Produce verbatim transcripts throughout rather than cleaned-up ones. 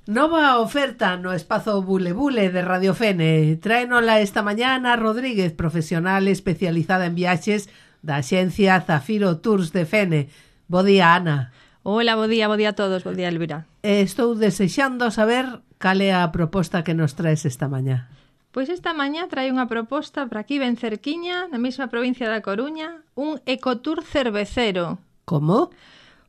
Nova oferta no espazo Bule Bule de Radio Fene. Tráenola esta mañá Ana Rodríguez, profesional especializada en viaxes da axencia Zafiro Tours de Fene. Bo día, Ana. Hola, bo día, bo día a todos, bo día, Elvira. Estou desexando saber cal é a proposta que nos traes esta mañá. Pois esta mañá trae unha proposta para aquí ben cerquiña, na mesma provincia da Coruña, un ecotour cervecero. Como?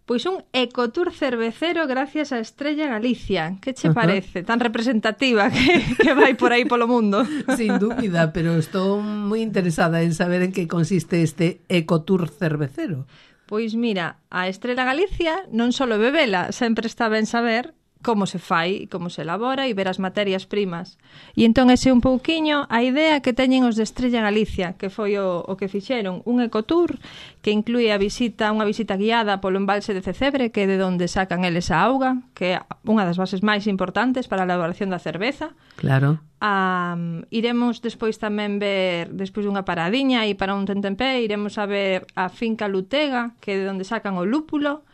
Pois un ecotour cervecero gracias a Estrella Galicia. Que che uh-huh. parece? Tan representativa que, que vai por aí polo mundo. Sin dúbida, pero estou moi interesada en saber en que consiste este ecotour cervecero. Pois mira, a Estrella Galicia non só bebela, sempre está ben saber como se fai, como se elabora e ver as materias primas. E entón ese un pouquiño a idea que teñen os de Estrella Galicia, que foi o, o que fixeron, un ecotour que inclúe a visita, unha visita guiada polo embalse de Cecebre, que é de onde sacan eles a auga, que é unha das bases máis importantes para a elaboración da cerveza. Claro. Um, iremos despois tamén ver, despois dunha paradiña e para un tentempié, iremos a ver a finca Lutega, que é de onde sacan o lúpulo.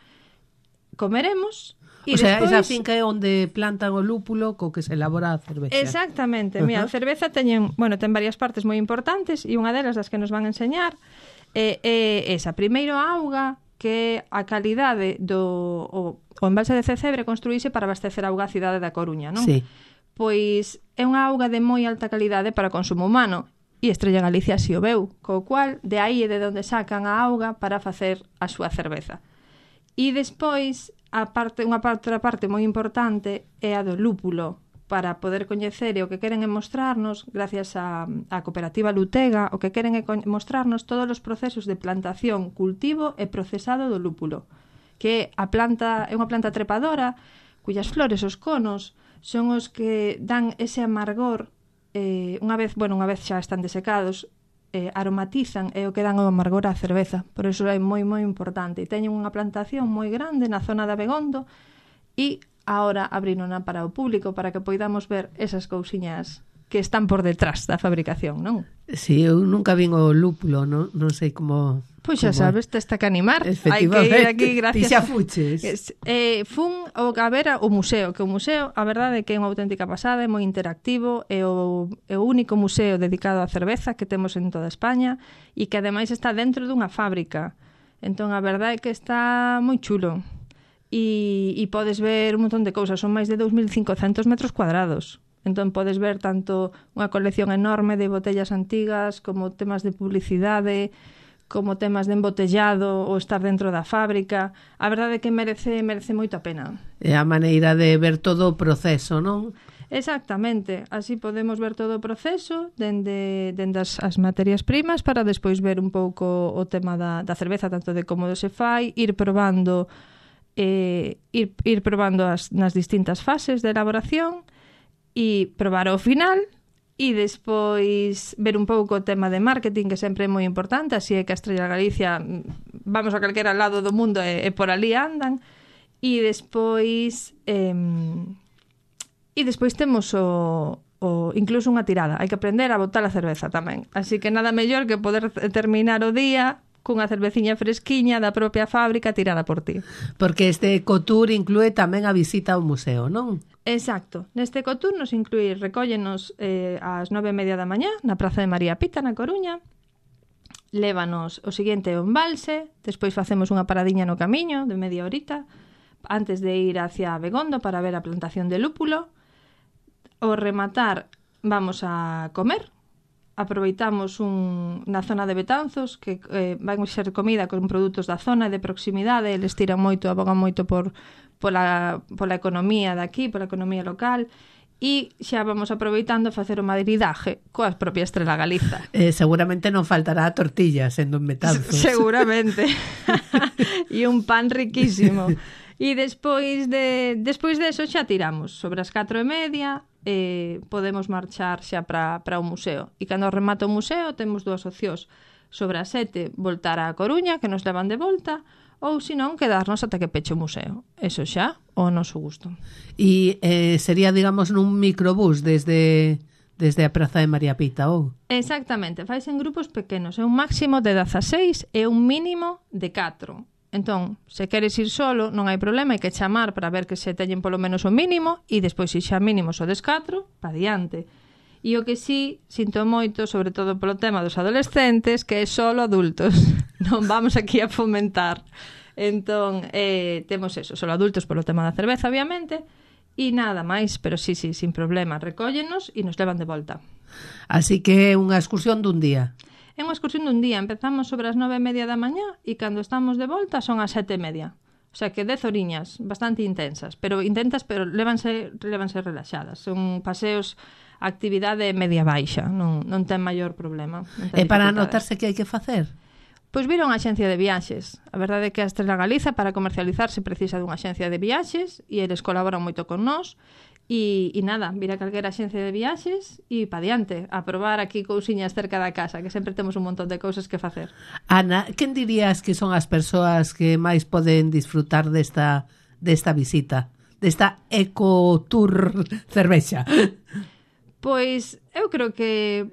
Comeremos. E o sea, despois... esa finca é onde plantan o lúpulo co que se elabora a cervexa. Exactamente. Uh-huh. Mira, a cerveza teñen, bueno, ten varias partes moi importantes e unha delas das que nos van a enseñar é, é esa. Primeiro a auga, que a calidade do o, o embalse de Cecebre construíse para abastecer a auga a cidade da Coruña, non? Sí. Pois é unha auga de moi alta calidade para consumo humano e Estrella Galicia si o veu, co cual de aí é de onde sacan a auga para facer a súa cerveza. E despois a parte, unha outra parte moi importante é a do lúpulo, para poder coñecer e o que queren é mostrarnos, gracias á cooperativa Lutega, o que queren é mostrarnos todos os procesos de plantación, cultivo e procesado do lúpulo, que a planta é unha planta trepadora, cuyas flores, os conos, son os que dan ese amargor, eh, unha vez, bueno, unha vez xa están desecados, eh, aromatizan e o que dan o amargor á cerveza. Por iso é moi, moi importante. E teñen unha plantación moi grande na zona de Abegondo e agora abrinona para o público para que poidamos ver esas cousiñas que están por detrás da fabricación, non? Si, sí, eu nunca vin o lúpulo, non, non sei como... Pois xa sabes, te está que animar. Hai que ir aquí, gracias. Ti xa fuches. Eh, fun o a ver o museo, que o museo, a verdade é que é unha auténtica pasada, é moi interactivo, é o, é o único museo dedicado á cerveza que temos en toda España e que ademais está dentro dunha fábrica. Entón, a verdade é que está moi chulo. E, e podes ver un montón de cousas, son máis de dous mil cincocentos metros cuadrados. Entón podes ver tanto unha colección enorme de botellas antigas como temas de publicidade, como temas de embotellado ou estar dentro da fábrica. A verdade é que merece, merece moito a pena. É a maneira de ver todo o proceso, non? Exactamente. Así podemos ver todo o proceso dende, dende as, as materias primas para despois ver un pouco o tema da, da cerveza, tanto de como se fai, ir probando eh, ir, ir probando as, nas distintas fases de elaboración e probar ao final e despois ver un pouco o tema de marketing, que sempre é moi importante, así é que a Estrella Galicia, vamos a calquera lado do mundo e, e por ali andan, e despois eh, e despois temos o, o incluso unha tirada, hai que aprender a botar a cerveza tamén, así que nada mellor que poder terminar o día cunha cerveciña fresquiña da propia fábrica tirada por ti. Porque este ecotour inclúe tamén a visita ao museo, non? Exacto. Neste ecotour nos inclúe, recóllenos eh, ás nove e media da mañá na Praza de María Pita, na Coruña, lévanos o seguinte ao embalse, despois facemos unha paradiña no camiño de media horita, antes de ir hacia Abegondo para ver a plantación de lúpulo. Ao rematar vamos a comer, aproveitamos un, na zona de Betanzos que eh, vai ser comida con produtos da zona de proximidade, eles tiran moito, abogan moito por pola, pola economía daqui, pola economía local, e xa vamos aproveitando a facer o madridaje coa propia Estrella Galiza. Eh, seguramente non faltará a tortilla sendo en Betanzos. Seguramente. E un pan riquísimo. E despois de despois de eso xa tiramos sobre as catro e media, eh, podemos marchar xa para para o museo. E cando remata o museo temos dúas opcións. Sobre as sete voltar á Coruña, que nos levan de volta, ou senón quedarnos ata que peche o museo. Eso xa, o noso gusto. E eh, sería, digamos, nun microbús desde desde a Praza de María Pita, ou? Exactamente, faise en grupos pequenos, é un máximo de dezaseis e un mínimo de catro. Entón, se queres ir solo, non hai problema, hai que chamar para ver que se teñen polo menos o mínimo e despois se xa mínimo o descatro, pa diante. E o que sí, sinto moito, sobre todo polo tema dos adolescentes, que é solo adultos. Non vamos aquí a fomentar. Entón, eh, temos eso, solo adultos polo tema da cerveza, obviamente, e nada máis, pero sí, sí, sin problema. Recóllenos e nos levan de volta. Así que é unha excursión dun día. É unha excursión dun día. Empezamos sobre as nove e media da mañá e cando estamos de volta son as sete e media. O sea que dez horiñas, bastante intensas. Pero intensas, pero lévanse, lévanse relaxadas. Son paseos, actividade media baixa. Non, non ten maior problema. E para anotarse que hai que facer? Pois vir a unha axencia de viaxes. A verdade é que a Estrela Galiza para comercializarse precisa dunha axencia de viaxes e eles colaboran moito con nós. E, e nada, vir a calquera axencia de viaxes e pa diante, a probar aquí cousiñas cerca da casa, que sempre temos un montón de cousas que facer. Ana, quen dirías que son as persoas que máis poden disfrutar desta, desta visita, desta ecotour cervexa? Pois eu creo que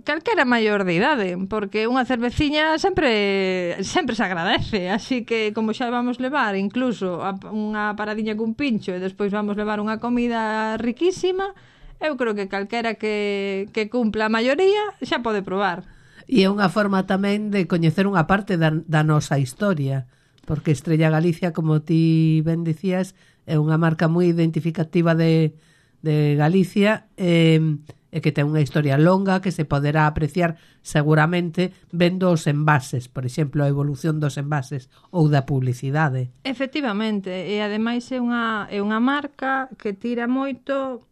calquera maior de idade, porque unha cerveciña sempre sempre se agradece, así que como xa vamos levar incluso a, unha paradiña cun pincho e despois vamos levar unha comida riquísima, eu creo que calquera que, que cumpla a maioría xa pode probar. E é unha forma tamén de coñecer unha parte da, da nosa historia, porque Estrella Galicia, como ti ben dicías, é unha marca moi identificativa de, de Galicia, e eh, e que ten unha historia longa que se poderá apreciar seguramente vendo os envases, por exemplo, a evolución dos envases ou da publicidade. Efectivamente, e ademais é unha, é unha marca que tira moito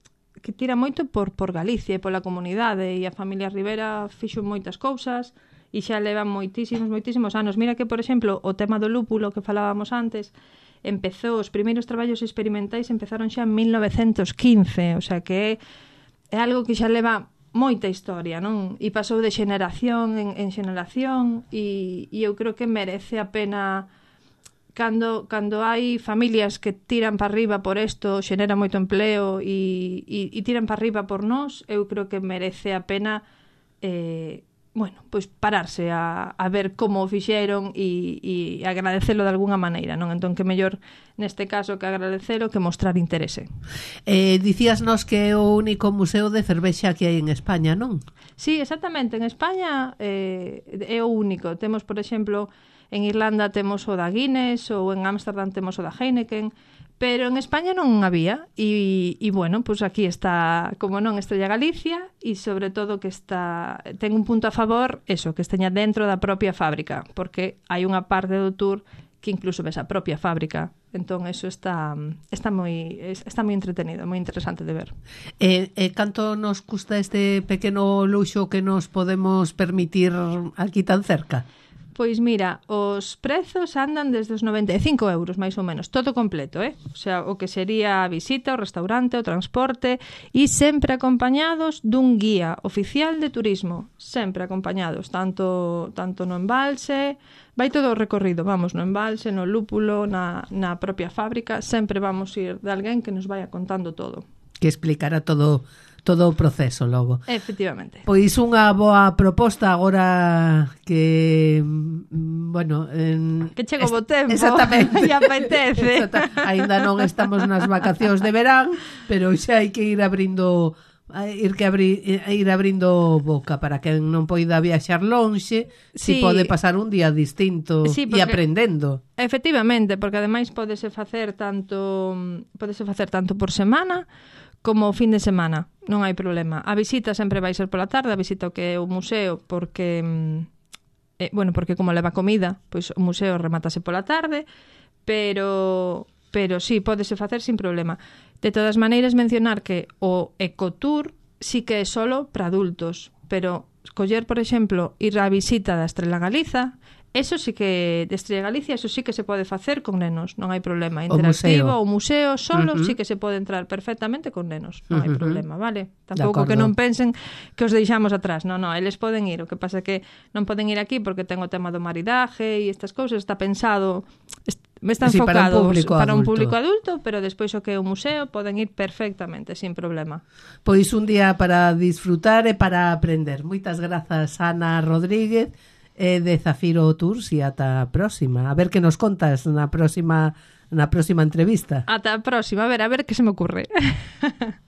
que tira moito por, por Galicia e pola comunidade, e a familia Rivera fixo moitas cousas e xa levan moitísimos, moitísimos anos. Mira que, por exemplo, o tema do lúpulo que falábamos antes, empezou, os primeiros traballos experimentais empezaron xa en mil novecentos quince, o sea que é é algo que xa leva moita historia, non? E pasou de xeneración en, en xeneración e, e eu creo que merece a pena cando, cando hai familias que tiran para arriba por isto, xenera moito empleo e, e, e tiran para arriba por nós, eu creo que merece a pena eh, bueno, pois pararse a, a ver como o fixeron e, e agradecelo de alguna maneira, non? Entón que mellor neste caso que agradecelo que mostrar interese. Eh, dicíasnos que é o único museo de cervexa que hai en España, non? Sí, exactamente, en España eh, é o único. Temos, por exemplo, en Irlanda temos o da Guinness ou en Ámsterdam temos o da Heineken, pero en España non había e, e bueno, pois pues aquí está, como non, Estrella Galicia e sobre todo que está ten un punto a favor, eso, que esteña dentro da propia fábrica, porque hai unha parte do tour que incluso ves a propia fábrica. Entón eso está está moi está moi entretenido, moi interesante de ver. E, e canto nos custa este pequeno luxo que nos podemos permitir aquí tan cerca? Pois mira, os prezos andan desde os noventa e cinco euros, máis ou menos, todo completo, eh? O sea, o que sería a visita, o restaurante, o transporte, e sempre acompañados dun guía oficial de turismo, sempre acompañados, tanto tanto no embalse, vai todo o recorrido, vamos, no embalse, no lúpulo, na, na propia fábrica, sempre vamos ir de alguén que nos vaya contando todo. Que explicará todo todo o proceso logo. Efectivamente. Pois unha boa proposta agora que, bueno... En, que chego bo tempo. Exactamente. E apetece. Exacta, ainda non estamos nas vacacións de verán, pero xa hai que ir abrindo... ir que abrir, ir abrindo boca para que non poida viaxar lonxe, si sí, pode pasar un día distinto sí, e aprendendo. Efectivamente, porque ademais podese facer tanto podese facer tanto por semana como o fin de semana, non hai problema. A visita sempre vai ser pola tarde, a visita ao que é o museo, porque eh, bueno, porque como leva comida, pois o museo remátase pola tarde, pero pero sí, pódese facer sin problema. De todas maneiras, mencionar que o ecotour sí que é solo para adultos, pero coller, por exemplo, ir á visita da Estrela Galiza, eso sí que, de Estrella Galicia, eso sí que se pode facer con nenos, non hai problema. Interactivo, o museo, o museo solo, uh-huh. sí que se pode entrar perfectamente con nenos, non hai uh-huh. problema, vale? Tampouco que non pensen que os deixamos atrás, non, non, eles poden ir, o que pasa é que non poden ir aquí porque ten o tema do maridaje e estas cousas, está pensado, está sí, enfocado para un público para un adulto. público adulto, pero despois o que é o museo poden ir perfectamente, sin problema. Pois un día para disfrutar e para aprender. Moitas grazas, Ana Rodríguez. e de Zafiro Tours e ata a próxima. A ver que nos contas na próxima na próxima entrevista. Ata a próxima, a ver, a ver que se me ocurre.